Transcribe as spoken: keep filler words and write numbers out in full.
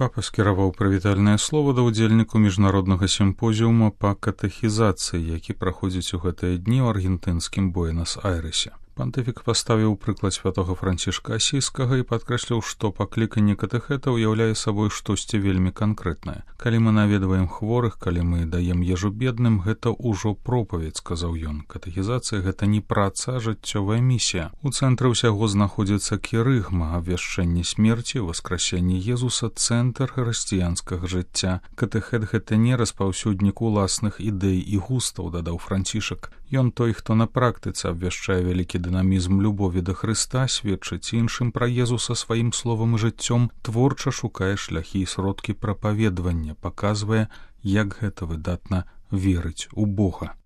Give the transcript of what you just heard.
Папа скіраваў прывітальнае слова да ўдзельніку міжнароднага сімпозіума па катэхізацыі, які праходзіць у гэтыя дні ў аргентынскім Буэнас-Айрэсе. Пантыфік паставіў прыклад святога Францішка Асійскага і падкрэсліў, што пакліканне катэхета ўяўляе сабой штосьці вельмі канкрэтнае. Калі мы наведваем хворых, калі мы даем ежу бедным, гэта ўжо пропаведь, сказаў ён. Катэхізацыя — гэта не праца, а жыццёвая місія. У цэнтры ўсяго знаходзіцца кірыгма, абвяшчэнне смерці, васкрасенне Езуса, цэнтр хрысціянскага жыцця. Катэхет — гэта не распаўсюднік уласных ідэй і густаў, дадаў Францішак. Ён той, хто на практыцы абвяшчае вялікі дынамізм любові да Хрыста, сведчыць іншым пра Езуса сваім словам і жыццём, творча шукае шляхі і сродкі прапаведвання, паказвае, як гэта выдатна верыць у Бога.